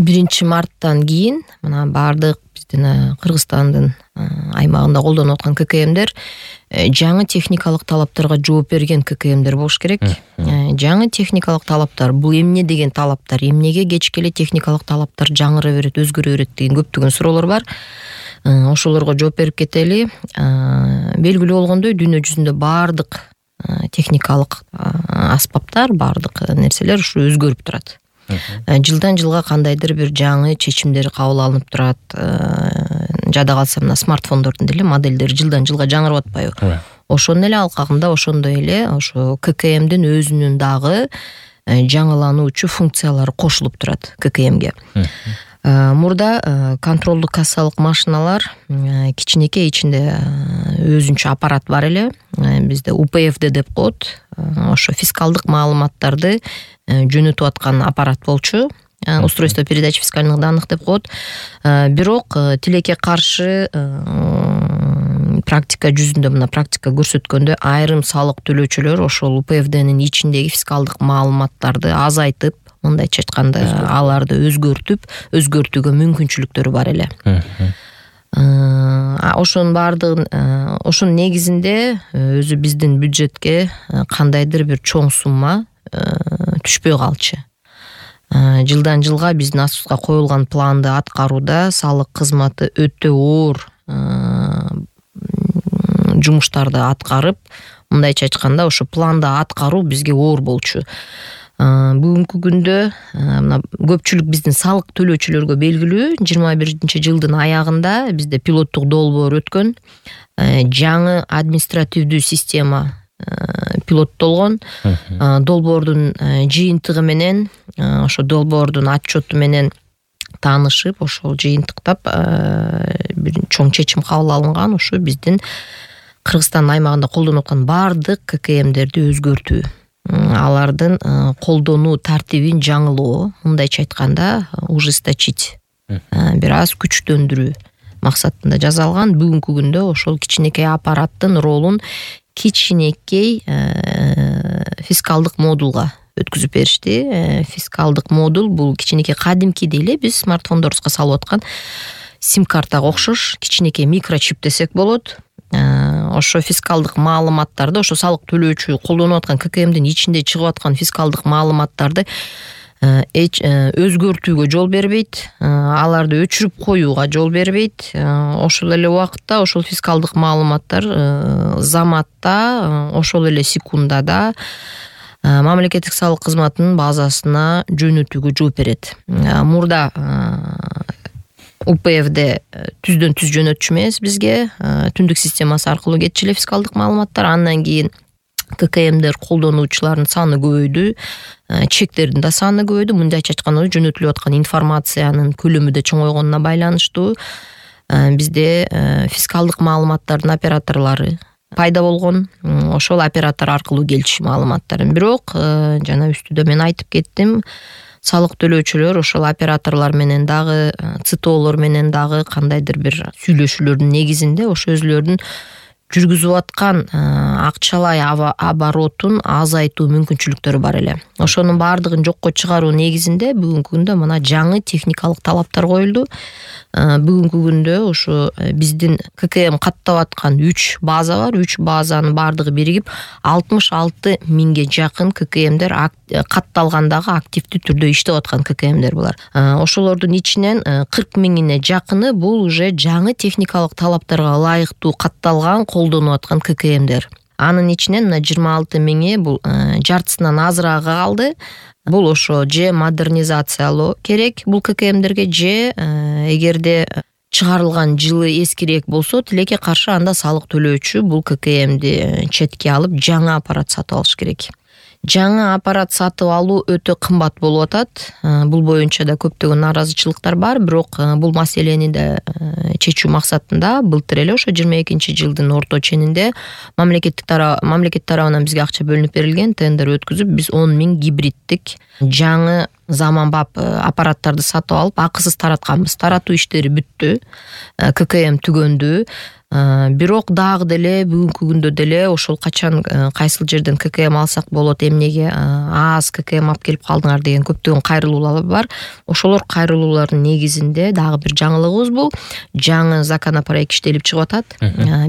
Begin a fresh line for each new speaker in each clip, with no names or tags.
1-марттан кийин мына баардык биздин Кыргызстандын аймагында колдонуп аткан ККМдер жаңы техникалык талаптарга жооп берген ККМдер болуш керек. Жаңы техникалык талаптар бул эмне деген талаптар, эмнеге кечке эле техникалык талаптар жаңыра берет, өзгөрө берет деген көптөгөн суроолор бар. Ошолорго жооп берип кетели. Белгилүү болгондой дүйнө жүзүндө баардык техникалык аспаптар, баардык нерселер ушу өзгөрүп турат. Жылдан жылга кандайдыр бир жаңы чечимдер кабыл алынып турат. Жада калса мына смартфондордун деле модельдери жылдан жылга жаңырып атпайбы? Ошонун эле алкагында ошондой эле ошо ККМдин өзүнүн дагы жаңылануучу функциялары кошулуп турат ККМге. Мурда контролдук кассалык машиналар кичинекей, ичинде өзүнчө аппарат бар эле. Бизде УПФД деп коет. Ошо фискалдык маалыматтарды жөнөтүп аткан аппарат болчу. Устройство передачи фискальных данных деп коет. Бирок тилекке каршы практика жүзүндө, мына практика көрсөткөндө айрым салык төлөөчүлөр ошол УПФДнин ичиндеги фискалдык маалыматтарды азайтып, мындайча айтканда аларды өзгөртүүгө мүмкүнчүлүктөрү бар эле. Ошонун баардыгын, ошонун негизинде өзү биздин бюджетке кандайдыр бир чоң сумма түшпөй калчу. Жылдан жылга биздин астыбызга коюлган планды аткарууда салык кызматы өтө оор жумуштарды аткарып, мындайча айтканда ошо планды аткаруу бизге оор болчу. Бүгүнкү күндө мына көпчүлүк биздин салык төлөөчүлөргө белгилүү, 21-жылдын аягында бизде пилоттук долбоор өткөн. Жаңы административдүү система пилоттолгон. Долбоордун жыйынтыгы менен, ошо долбоордун отчету менен таанышып, ошол жыйынтыктап бир чоң чечим кабыл алынган. Ошо биздин Кыргызстан аймагында колдонуп аткан баардык ККМдерди өзгөртүү, алардын колдонуу тартибин жаңылоо, мындайча айтканда ужесточить, бир аз күчтөндүрүү максатында жасалган. Бүгүнкү күндө ошол кичинекей аппараттын ролун кичинекей фискалдык модулга өткүзүп беришти. Фискалдык модул бул кичинекей кадимкидей эле биз смартфондорубузга салып аткан сим-картага окшош кичинекей микрочип десек болот. Ошо фискалдык маалыматтарды, ошо салык төлөөчү колдонуп аткан ККМдин ичинде чыгып аткан фискалдык маалыматтарды өзгөртүүгө жол бербейт, аларды өчүрүп коюуга жол бербейт. Ошол эле убакытта ошол фискалдык маалыматтар заматта, ошол эле секундада мамлекеттик салык кызматынын базасына жөнөтүүгө жооп берет. Мурда УПФД түздөн түз жөнөтчү эмес бизге, түндүк системасы аркылуу кетчү эле фискалдык маалыматтар. Андан кийин ККМдер колдонуучулардын саны көбөйдү, чектердин да саны көбөйдү. Мындайча айтканда жөнөтүлүп аткан информациянын көлөмү да чоңойгонуна байланыштуу бизде фискалдык маалыматтардын операторлору пайда болгон. Ошол оператор аркылуу келчү маалыматтар. Бирок жана үстүдө мен айтып кеттим, салык төлөөчүлөр ошол операторлор менен дагы, ЦТОлор менен дагы кандайдыр бир сүйлөшүүлөрдүн негизинде ошо өзүлөрүнүн жүргүзүп аткан акчалай оборотун азайтуу мүмкүнчүлүктөрү бар эле. Ошонун баардыгын жокко чыгаруу негизинде бүгүнкү күндө мына жаңы техникалык талаптар коюлду. Бүгүнкү күндө ошо биздин ККМ каттап аткан 3 база бар. 3 базанын баардыгы биригип 66 миңге жакын ККМдер катталгандагы активдүү түрдө иштеп аткан ККМдер булар. Ошолордун ичинен 40 миңине жакыны бул уже жаңы техникалык талаптарга ылайыктуу катталган колдонуп аткан ККМдер. Анын ичинен 26 миңи бул жартысынан азыраагы калды. Бул ошо же модернизациялоо керек бул ККМдерге, же эгерде чыгарылган жылы эскирээк болсо, тилекке каршы анда салык төлөөчү бул ККМди четке алып жаңы аппарат сатып алыш керек. Жаңы аппарат сатып алуу өтө кымбат болуп атат. Бул боюнча да көптөгөн наразычылыктар бар, бирок бул маселени да чечүү максатында былтыр эле ошо 22-жылдын орто ченинде мамлекет тарабынан бизге акча бөлүнүп берилген, тендер өткүзүп биз 10 миң гибриддик жаңы заманбап аппараттарды сатып алып акысыз таратканбыз. Таратуу иштери бүттү, ККМ түгөндү. Бирок дагы деле бүгүнкү күндө деле ошол качан кайсыл жерден ККМ алсак болот, эмнеге аз ККМ алып келип калдыңар деген көптөгөн кайрылуулар бар. Ошолор кайрылуулардын негизинде дагы бир жаңылыгыбыз бул жаңы законопроект иштелип чыгып атат.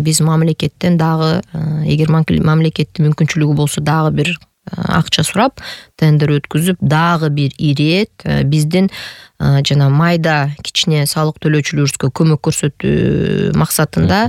Биз мамлекеттен дагы эгер мамлекеттин мүмкүнчүлүгү болсо дагы бир акча сурап тендер өткүзүп дагы бир ирет биздин жана майда кичине салык төлөөчүлөрүбүзгө көмөк көрсөтүү максатында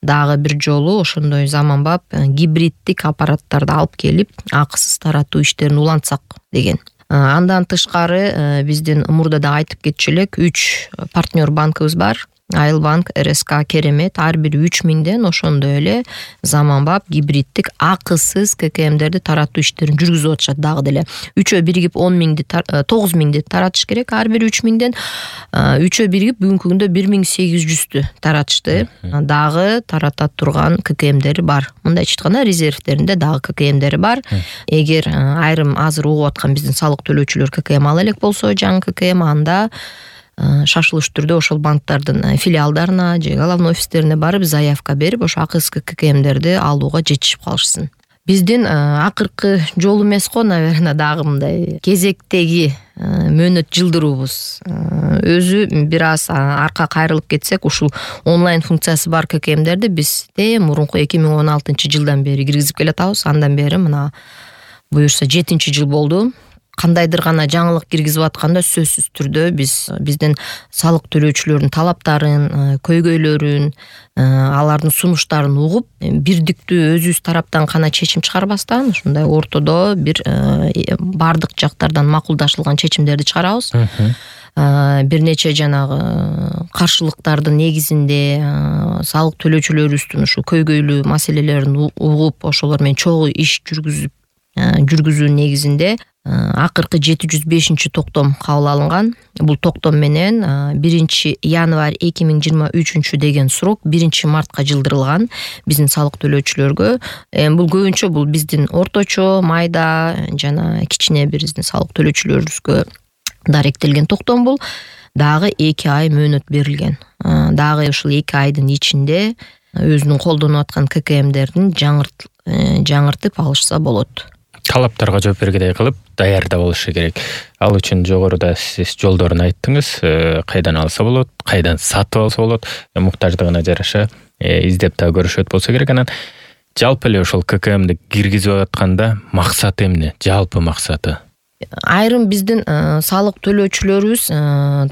дагы бир жолу ошондой заманбап гибриддик аппараттарды алып келип акысыз таратуу иштерин улантсак деген. Андан тышкары биздин мурда да айтып кетчү элек 3 партнер банкыбыз бар. Айыл банк, РСК, Керемет ар бири 3000ден ошондой эле заманбап гибриддик акысыз ККМдерди таратуу иштерин жүргүзүп атышат дагы деле. Үчөө биригип 9000ди таратыш керек, ар бири 3000ден. Үчөө биригип бүгүнкү күндө 1800тү таратышты. Дагы тарата турган ККМдери бар. Мындайча айтканда резервдеринде дагы ККМдери бар. Эгер айрым азыр угуп аткан биздин салык төлөөчүлөр ККМ ала элек болсо, жаңы ККМ анда шашылыш түрдө ошол банктардын филиалдарына же главный офистерине барып заявка берип ошо акысыз ККМдерди алууга жетишип калышсын. Биздин акыркы жолу эмес го, наверное, дагы мындай кезектеги мөөнөт жылдыруубуз. Өзү бир аз арка кайрылып кетсек, ушул онлайн функциясы бар ККМдерди биз мурунку 2016-жылдан бери киргизип келатабыз. Андан бери мына буюрса 7-жыл болду. Кандайдыр гана жаңылык киргизип атканда сөзсүз түрдө биздин салык төлөөчүлөрдүн талаптарын, көйгөйлөрүн, алардын сунуштарын угуп, бирдиктүү өзүбүз тараптан гана чечим чыгарбастан, ушундай ортодо бир бардык жактардан макулдашылган чечимдерди чыгарабыз. Бир нече жанагы каршылыктардын негизинде салык төлөөчүлөрүбүздүн ушу көйгөйлүү маселелерин угуп, ошолор менен чогуу иш жүргүзүү негизинде акыркы 705 токтом кабыл алынган. Бул токтом менен 1 январь 2023 деген срок 1 мартка жылдырылган биздин салык төлөөчүлөргө. Бул көбүнчө бул биздин орточо, майда жана кичине биздин салык төлөөчүлөрүбүзгө даректелген токтом бул. Дагы 2 ай мөөнөт берилген. Дагы ушул 2 айдын ичинде өзүнүн колдонуп аткан ККМдердин жаңыртып алышса болот.
Талаптарга жооп бергедей кылып даярда болушу керек. Ал үчүн жогоруда сиз жолдорун айттыңыз. Кайдан алса болот, кайдан сатып алса болот, муктаждыгына жараша издеп да көрүшөт болсо керек. Анан жалпы эле ошол ККМди киргизип атканда максаты эмне? Жалпы максаты?
Айрым биздин салык төлөөчүлөрүбүз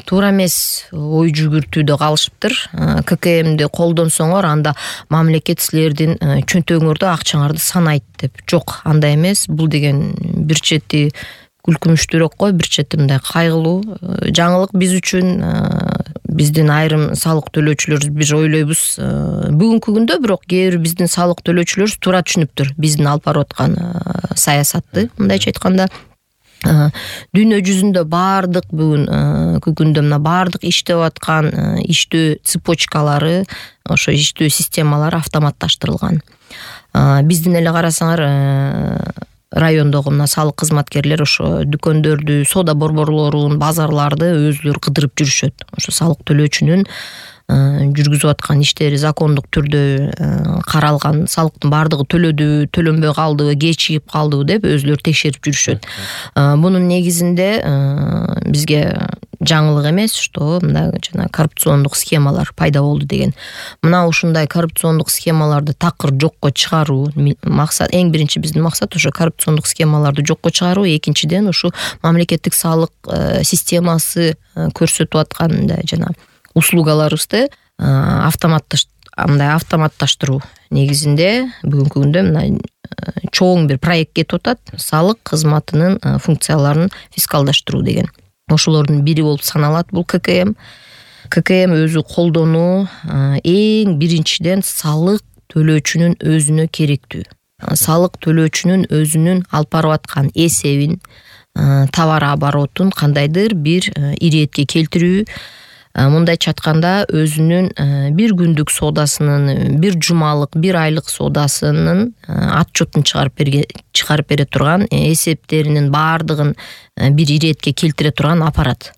туура эмес ой жүгүртүүдө калышыптыр. ККМди колдонсоңор анда мамлекет силердин чөнтөгүңөрдө акчаңарды санайт деп. Жок, андай эмес. Бул деген бир чети күлкүнүчтүүрөөк кой, бир чети мындай кайгылуу жаңылык биз үчүн. Биздин айрым салык төлөөчүлөрүбүз бир ойлойбуз. Бүгүнкү күндө бирок кээ бир биздин салык төлөөчүлөрүбүз туура түшүнүптүр биздин алып барып аткан саясатты. Мындайча айтканда дүйнө жүзүндө бардык бүгүнкү күндө мына бардык иштеп аткан иштөө цепочкалары, ошо иштөө системалары автоматташтырылган. Биздин эле карасаңар райондогу мына салык кызматкерлер ошо дүкөндөрдү, соода борборлорун, базарларды өзүлөрү кыдырып жүрүшөт. Ошо салык төлөөчүнүн жүргүзүп аткан иштери закондук түрдө каралган, салыктын бардыгы төлөдүбү, төлөнбөй калдыбы, кечигип калдыбы деп өзүлөрү текшерип жүрүшөт. Мунун негизинде бизге жаңылык эмес, что мына жана коррупциондук схемалар пайда болду деген. Мына ушундай коррупциондук схемаларды такыр жокко чыгаруу максат. Эң биринчи биздин максат ошо коррупциондук схемаларды жокко чыгаруу, экинчиден ушу мамлекеттик салык системасы көрсөтүп аткан жана услугаларыбызды автоматташтыруу негизинде бүгүнкү күндө мына чоң бир проект кетип атат. Салык кызматынын функцияларын фискалдаштыруу деген. Ошолордун бири болуп саналат бул ККМ. ККМ өзү колдонуу эң биринчиден салык төлөөчүнүн өзүнө керектүү. Салык төлөөчүнүн өзүнүн алып барып аткан эсебин, товар оборотун кандайдыр бир иретке келтирүү, мындайча айтканда өзүнүн бир күндүк соодасынын, бир жумалык, бир айлык соодасынын отчетун чыгарып бере турган, эсептеринин баардыгын бир иретке келтире турган аппарат.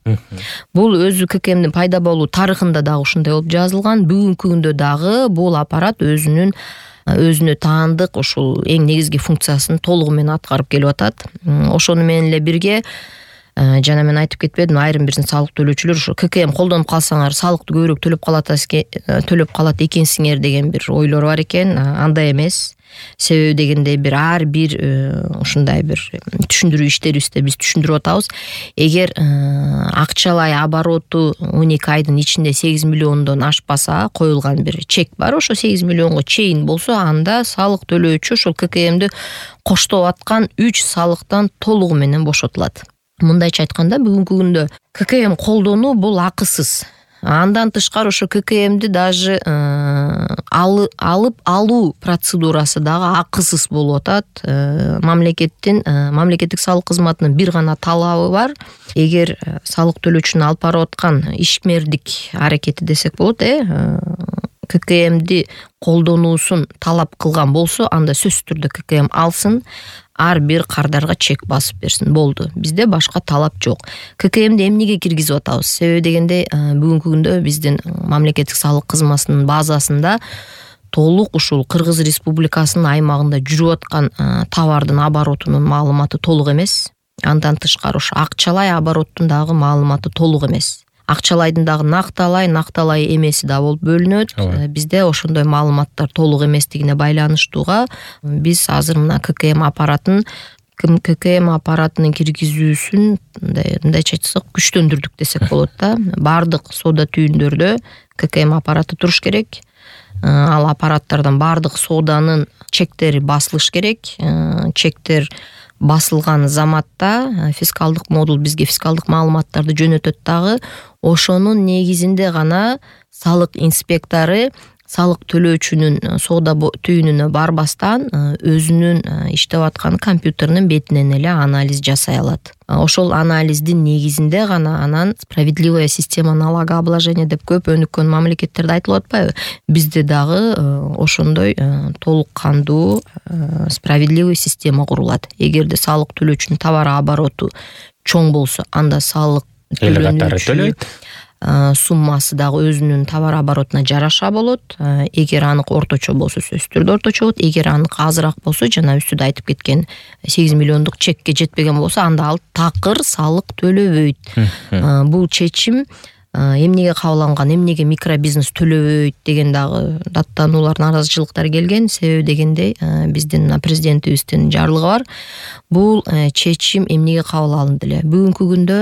Бул өзү ККМдин пайда болуу тарыхында дагы ушундай болуп жазылган. Бүгүнкү күндө дагы бул аппарат өзүнүн өзүнө таандык ушул эң негизги функциясын толугу менен аткарып келип атат. Ошону менен эле бирге жана мен айтып кетпедимби, айрым бир салык төлөөчүлөр ушу ККМ колдонуп калсаңар салыкты көбүрөөк төлөп калат экенсиңер деген бир ойлор бар экен. Андай эмес. Себеби дегенде ар бир ушундай бир түшүндүрүү иштерибизде биз түшүндүрүп атабыз. Эгер акчалай обороту 12 айдын ичинде 8 миллиондон ашпаса, коюлган бир чек бар, ошо 8 миллионго чейин болсо, анда салык төлөөчү ошол ККМди коштоп аткан 3 салыктан толугу менен бошотулат. Мындайча айтканда, бүгүнкү күндө ККМ колдонуу бул акысыз. Андан тышкары ошо ККМди даже алуу процедурасы дагы акысыз болуп атат. Мамлекеттик салык кызматынын бир гана талабы бар. Эгер салык төлөөчүнүн алып барып аткан ишмердик аракети десек болот, ККМди колдонуусун талап кылган болсо, анда сөзсүз түрдө ККМ алсын, ар бир кардарга чек басып берсин, болду. Бизде башка талап жок. ККМди эмнеге киргизип атабыз? Себеби дегенде, бүгүнкү күндө биздин мамлекеттик салык кызматынын базасында толук ушул Кыргыз Республикасынын аймагында жүрүп аткан товардын оборотунун маалыматы толук эмес. Андан тышкары ушу акчалай обороттун дагы маалыматы толук эмес. Акчалайдын дагы накталай эмеси да болуп бөлүнөт. Бизде ошондой маалыматтар толук эместигине байланыштууга биз азыр мына ККМ аппаратынын киргизүүсүн мындайча айтсак күчтөндүрдүк десек болот да. Бардык соода түйүндөрдө ККМ аппараты туруш керек. Ал аппараттардан бардык сооданын чектери басылыш керек. Чектер басылган заматта фискалдык модул бизге фискалдык маалыматтарды жөнөтөт дагы. Ошонун негизинде гана салык инспектору салык төлөөчүнүн соода түйүнүнө барбастан өзүнүн иштеп аткан компьютеринин бетинен эле анализ жасай алат. Ошол анализдин негизинде гана анан справедливая система налогообложения деп көп өнүккөн мамлекеттерде айтылып атпайбы? Бизде дагы ошондой толук кандуу справедливый система курулат. Эгерде салык төлөөчүнүн товар обороту чоң болсо, анда салык төлөйт. Суммасы дагы өзүнүн товар оборотуна жараша болот. Эгер анык орточо болсо, сөзсүз түрдө орточо болот. Эгер анык азыраак болсо, жана үстүдө айтып кеткен 8 миллиондук чекке жетпеген болсо, анда ал такыр салык төлөбөйт. Бул чечим эмнеге кабыл алынган, эмнеге микробизнес төлөбөйт деген дагы даттануулар, наразычылыктар келген. Себеби дегенде биздин президентибиздин жарлыгы бар. Бул чечим эмнеге кабыл алынды эле? Бүгүнкү күндө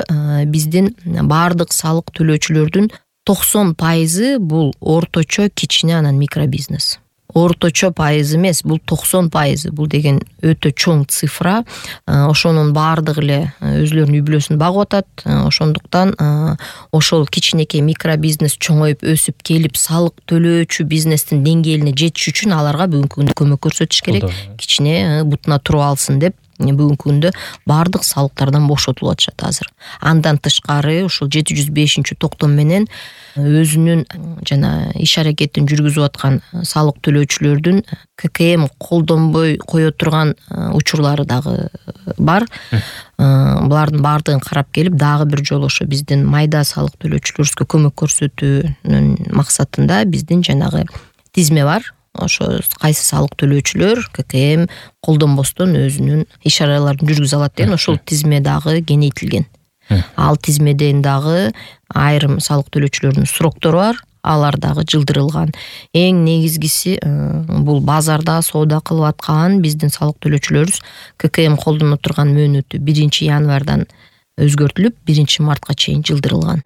биздин бардык салык төлөөчүлөрдүн 90% бул орточо, кичине, анан микробизнес. Орточо пайыз эмес, бул 90%. Бул деген өтө чоң цифра. Ошонун бардыгы эле өзүлөрүнүн үй бүлөсүн багып атат. Ошондуктан ошол кичинекей микробизнес чоңоюп өсүп келип салык төлөөчү бизнестин деңгээлине жетиш үчүн аларга бүгүнкү күндө көмөк көрсөтүш керек. Кичине бутуна туруп алсын деп бүгүнкү күндө бардык салыктардан бошотулуп атышат азыр. Андан тышкары ушул 705-токтом менен өзүнүн жана иш аракетин жүргүзүп аткан салык төлөөчүлөрдүн ККМ колдонбой кое турган учурлары дагы бар. Булардын бардыгын карап келип, дагы бир жолу ошо биздин майда салык төлөөчүлөрүбүзгө көмөк көрсөтүүнүн максатында биздин жанагы тизме бар. Ошо кайсы салык төлөөчүлөр ККМ колдонбостон өзүнүн иш араларын жүргүзө алат деген ошол тизме дагы кеңейтилген. Ал тизмеден дагы айрым салык төлөөчүлөрдүн суроктору бар, алар дагы жылдырылган. Эң негизгиси бул базарда соода кылып аткан биздин салык төлөөчүлөрүбүз ККМ колдоно турган мөөнөтү 1 январдан өзгөртүлүп 1 мартка чейин жылдырылган.